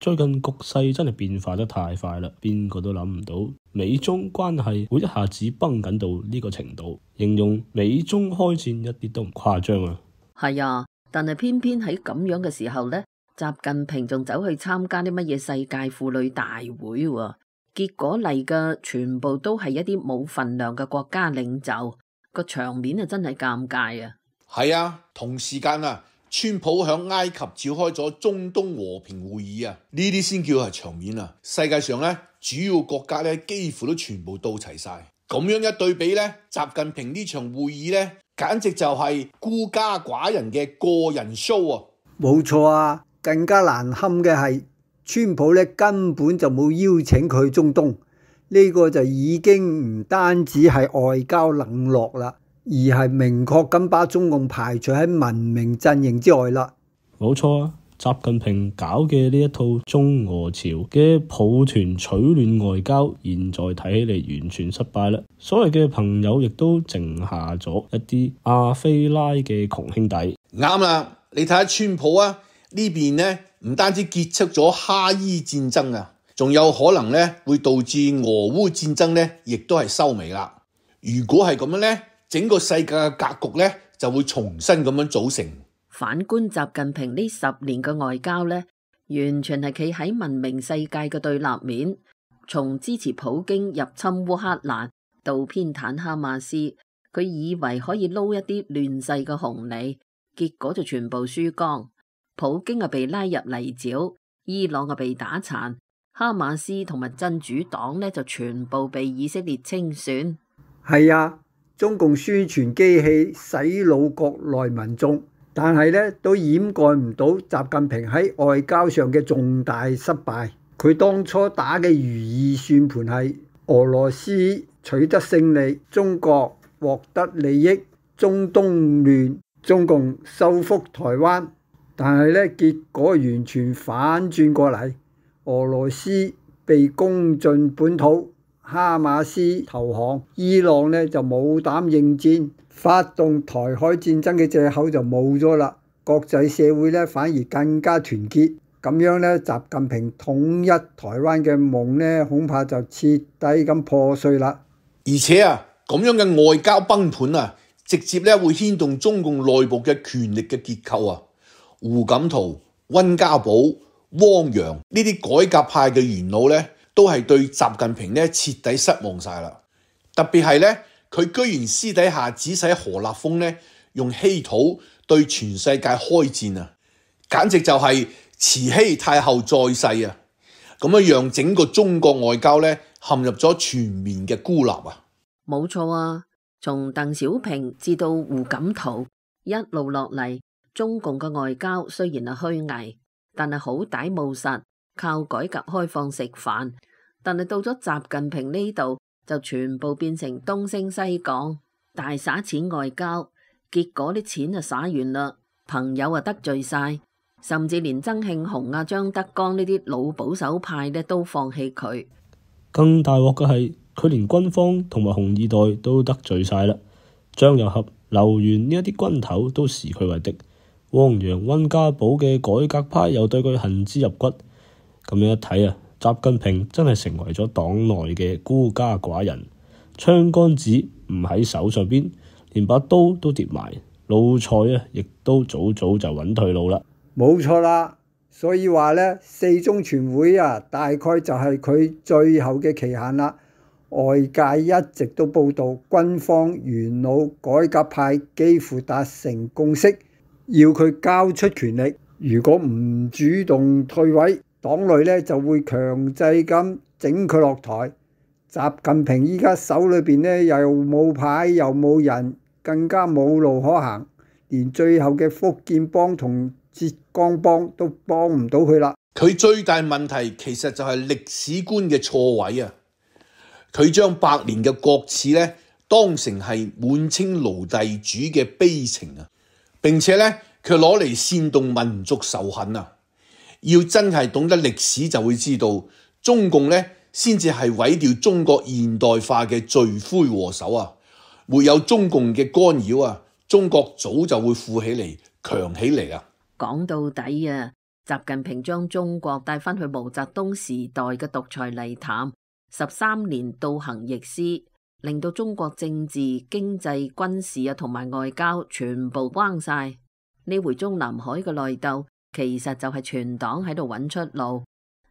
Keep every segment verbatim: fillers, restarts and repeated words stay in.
最近局勢真係變化得太快啦，邊個都諗唔到美中關係會一下子繃緊到呢個程度，形容美中開戰一啲都唔誇張啊。係啊，但係偏偏喺咁樣嘅時候呢，習近平仲走去參加啲乜嘢世界婦女大會喎，結果嚟嘅全部都係一啲冇份量嘅國家領袖，個場面啊真係尷尬啊。係啊，同時間啊，川普響埃及召開咗中東和平會議啊，呢啲先叫係場面啊。世界上咧主要國家咧幾乎都全部到齊晒，咁樣一對比咧，習近平呢場會議咧，簡直就係孤家寡人嘅個人 show 啊！冇錯啊，更加難堪嘅係川普咧根本就冇邀請佢去中東，呢個就已經唔單止係外交冷落啦，而係明確咁把中共排除喺文明陣營之外啦。冇錯啊，習近平搞嘅呢一套中俄朝嘅抱團取暖外交，現在睇起嚟完全失敗啦。所謂嘅朋友亦都剩下咗一啲亞非拉嘅窮兄弟。啱啦，你睇下川普啊，呢邊呢唔單止結束咗哈伊戰爭啊，仲有可能呢會導致俄烏戰爭呢亦都係收尾啦。如果係咁樣呢，整個世界嘅格局呢就會重新咁樣組成。反觀習近平呢十年嘅外交呢，完全係企喺文明世界嘅對立面，從支持普京入侵烏克蘭到偏袒哈馬斯，佢以為可以撈一啲亂世嘅紅利，結果就全部輸光。普京啊被拉入泥沼，伊朗啊被打殘，哈馬斯同埋真主黨呢就全部被以色列清算。係啊，中共宣傳機器洗腦國內民眾，但係咧都掩蓋唔到習近平喺外交上嘅重大失敗。佢當初打嘅如意算盤係俄羅斯取得勝利，中國獲得利益，中東亂，中共收復台灣。但係咧結果完全反轉過嚟，俄羅斯被攻進本土，哈馬斯投降，伊朗呢就冇膽應戰，發動台海戰爭嘅藉口就冇咗啦。國際社會呢反而更加團結，咁樣呢習近平統一台灣嘅夢呢恐怕就徹底咁破碎啦。而且啊，咁樣嘅外交崩盤啊，直接呢會牽動中共內部嘅權力嘅結構啊。胡錦濤、溫家寶、汪洋呢啲改革派嘅元老呢，都係對習近平呢徹底失望晒啦。特別係呢，佢居然私底下指使何立峰呢用稀土對全世界開戰啊，簡直就係慈禧太后在世啊！咁樣讓整個中國外交呢陷入咗全面嘅孤立啊！冇錯啊，從鄧小平至到胡錦濤一路落嚟，中共嘅外交雖然係虛偽，但係好歹務實，靠改革開放食飯。但係到咗習近平呢度，就全部變成東升西降，大灑錢外交，結果啲錢就灑完啦，朋友啊得罪晒，甚至連曾慶紅啊、張德江呢啲老保守派呢都放棄佢。更大鑊嘅係，佢連軍方同埋紅二代都得罪晒啦，張又俠、劉源呢一啲軍頭都視佢為敵。汪洋、溫家寶嘅改革派又對佢恨之入骨，咁樣一睇啊，習近平真係成為咗黨內嘅孤家寡人，槍桿子唔喺手上邊，連把刀都跌埋，老蔡啊，亦都早早就揾退路啦。冇錯啦，所以話呢，四中全會啊，大概就係佢最後嘅期限啦。外界一直都報道，軍方元老改革派幾乎達成共識。要佢交出權力，如果唔主動退位，黨內咧就會強制咁整佢落台。習近平依家手裏邊咧又冇牌又冇人，更加冇路可行，連最後嘅福建幫同浙江幫都幫唔到佢啦。佢最大問題其實就係歷史觀嘅錯位啊！佢將百年嘅國恥咧當成係滿清奴隸主嘅悲情啊！並且咧，佢攞嚟煽動民族仇恨啊！要真係懂得歷史，就會知道中共咧先至係毀掉中國現代化嘅罪魁禍首啊！沒有中共嘅干擾啊，中國早就會富起嚟、強起嚟啊！講到底啊，習近平將中國帶返去毛澤東時代嘅獨裁泥潭，十三年倒行逆施，令到中國政治、經濟、軍事啊同埋外交全部彎晒。呢回中南海嘅內鬥，其實就係全黨喺度揾出路，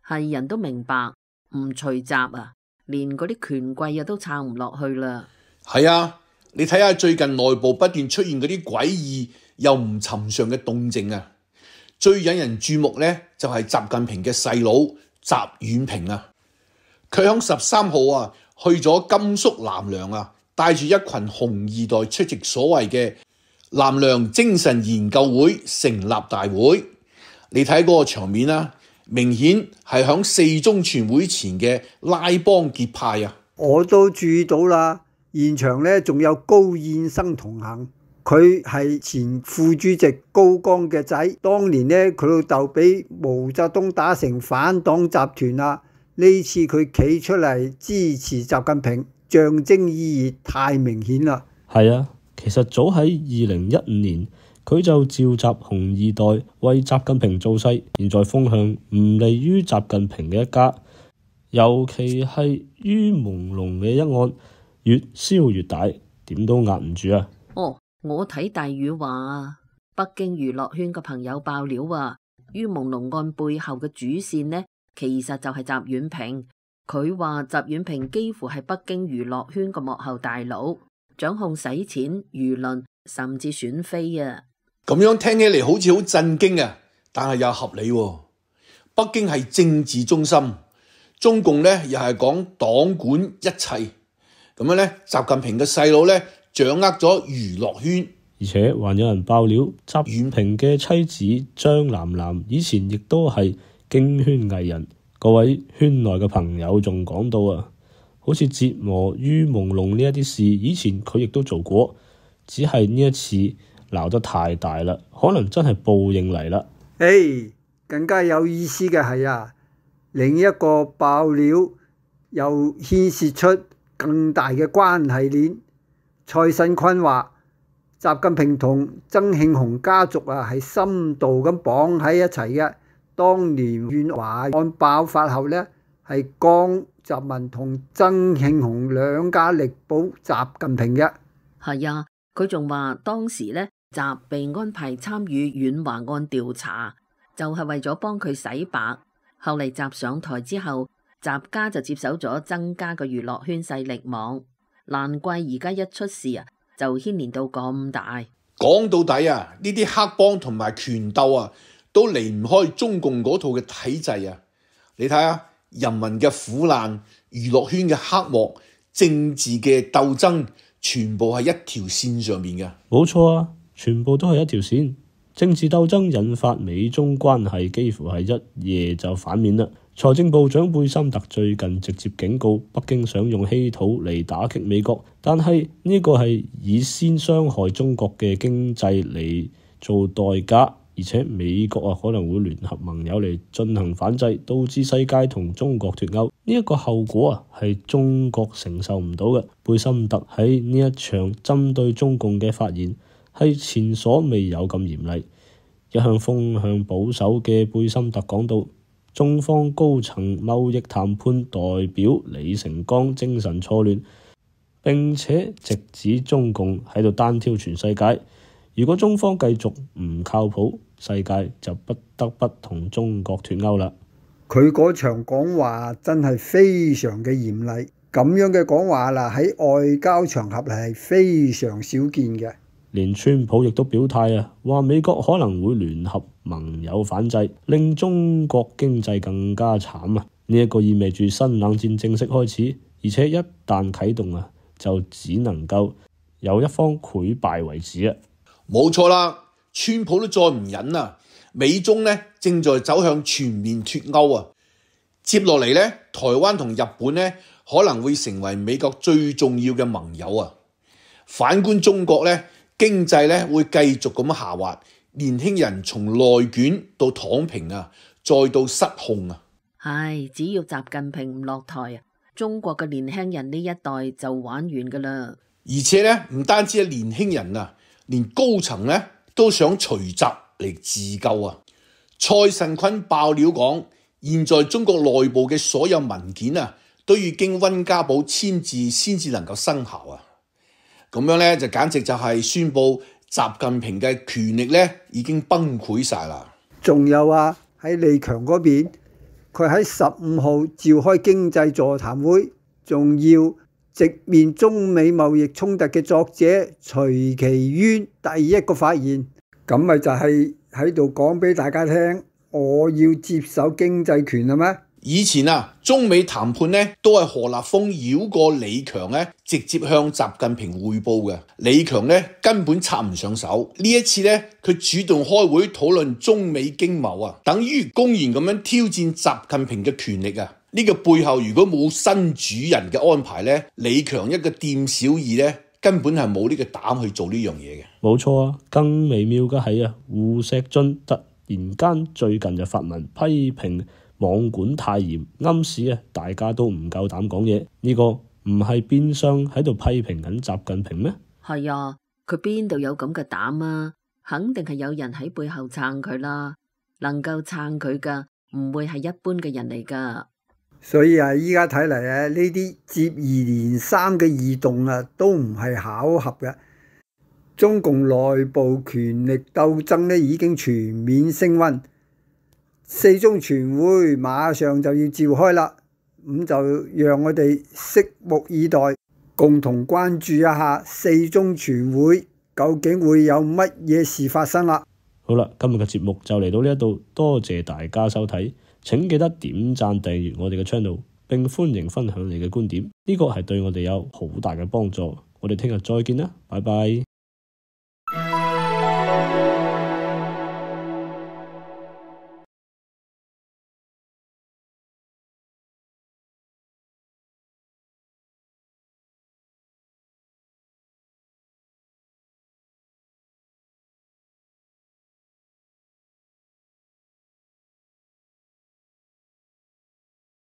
係人都明白，唔除習啊，連嗰啲權貴啊都撐唔落去啦。係啊，你睇下最近內部不斷出現嗰啲詭異又唔尋常嘅動靜啊！最引人注目呢，就係習近平嘅細佬習遠平啊，佢響十三號啊去咗甘肅南梁啊，帶住一群紅二代出席所謂嘅南梁精神研究會成立大會。你睇嗰個場面啊，明顯係響四中全會前嘅拉幫結派啊！我都注意到啦，現場呢仲有高燕生同行。佢係前副主席高崗嘅仔，當年呢，佢老豆俾毛澤東打成反黨集團啦。呢次佢企出嚟支持習近平，象徵意義太明顯啦。係啊，其實早喺二零一五年，佢就召集紅二代為習近平造勢，現在風向唔利於習近平嘅一家，尤其係於朦朧嘅一案越燒越大，點都壓唔住啊！哦。我睇大宇話，北京娛樂圈嘅朋友爆料啊，於朦朧案背後嘅主線呢，其實就係習遠平。佢話習遠平幾乎係北京娛樂圈嘅幕後大佬，掌控洗錢、輿論，甚至選妃啊！咁樣聽起嚟好似好震驚啊，但係又合理喎。北京係政治中心，中共呢又係講黨管一切，咁樣呢，習近平嘅細佬呢，掌握咗娛樂圈，而且還有人爆料，習遠平嘅妻子張楠楠以前亦都係京圈藝人。各位圈內嘅朋友仲講到啊，好似折磨於朦朧呢一啲事，以前佢亦都做過，只係呢一次鬧得太大啦，可能真係報應嚟啦。誒，更加有意思嘅係啊，另一個爆料又牽涉出更大嘅關係鏈。蔡新坤話：習近平同曾慶紅家族啊係深度咁綁喺一齊嘅。當年遠華案爆發後呢，係江澤民同曾慶紅兩家力保習近平嘅。係啊，佢仲話當時呢，習被安排參與遠華案調查，就係為咗幫佢洗白。後嚟習上台之後，習家就接手咗曾家嘅娛樂圈勢力網。難怪而家一出事啊，就牽連到咁大。講到底啊，呢啲黑幫同埋權鬥啊，都離唔開中共嗰套嘅體制啊。你睇下，人民嘅苦難、娛樂圈嘅黑幕、政治嘅鬥爭，全部係一條線上面嘅。冇錯啊，全部都係一條線。政治鬥爭引發美中關係幾乎係一夜就反面啦。財政部長貝森特最近直接警告北京想用稀土嚟打擊美國，但係呢個係以先傷害中國嘅經濟嚟做代價，而且美國啊可能會聯合盟友嚟進行反制，導致世界同中國脫鈎。呢一個後果啊係中國承受唔到嘅。貝森特喺呢一場針對中共嘅發言係前所未有咁嚴厲。一向風向保守嘅貝森特講到，中方高層貿易談判代表李成鋼精神錯亂，並且直指中共喺度單挑全世界。如果中方繼續唔靠譜，世界就不得不同中國脫鈎啦。佢嗰場講話真係非常嘅嚴厲，咁樣嘅講話啦，喺外交場合係非常少見嘅。連川普亦都表態啊，話美國可能會聯合盟友反制，令中國經濟更加慘啊！呢一個意味住新冷戰正式開始，而且一旦啟動啊，就只能夠有一方潰敗為止啊！冇錯啦，川普都再唔忍啦，美中呢正在走向全面脫鈎啊！接落嚟呢，台灣同日本呢可能會成為美國最重要嘅盟友啊！反觀中國呢，經濟咧會繼續咁下滑，年輕人從內卷到躺平啊，再到失控啊！唉，只要習近平唔落台啊，中國嘅年輕人呢一代就玩完噶啦。而且咧，唔單止係年輕人啊，連高層咧都想隨習嚟自救啊！蔡慎坤爆料講，現在中國內部嘅所有文件啊，都要經溫家寶簽字先至能夠生效啊！咁樣咧就簡直就係宣佈習近平嘅權力咧已經崩潰晒啦。仲有啊，喺李強嗰邊，佢喺十五號召開經濟座談會，仲要直面中美貿易衝突嘅作者徐其淵第一個發言，咁咪就係喺度講俾大家聽，我要接手經濟權啦咩？以前啊，中美談判咧都係何立峰繞過李強咧，直接向習近平匯報嘅。李強咧根本插唔上手。呢一次咧，佢主動開會討論中美經貿啊，等於公然咁樣挑戰習近平嘅權力啊！呢個背後如果冇新主人嘅安排咧，李強一個店小二咧，根本係冇呢個膽去做呢樣嘢嘅。冇錯啊，更微妙嘅係啊，胡錫進突然間最近就發文批評網管太嚴，暗示啊大家都唔夠膽講嘢。呢個唔係變相喺度批評緊習近平咩？係啊，佢邊度有咁嘅膽啊？肯定係有人喺背後撐佢啦。能夠撐佢噶，唔會係一般嘅人嚟噶。所以啊，依家睇嚟啊，呢啲接二連三嘅異動啊，都唔係巧合嘅。中共內部權力鬥爭呢已經全面升溫。四中全會馬上就要召開啦，咁就讓我哋拭目以待，共同關注一下四中全會究竟會有乜嘢事發生啦。好啦，今日嘅節目就嚟到呢一度，多謝大家收睇，請記得點讚訂閱我哋嘅 channel， 並歡迎分享你嘅觀點，呢個係對我哋有好大嘅幫助。我哋聽日再見啦，拜拜。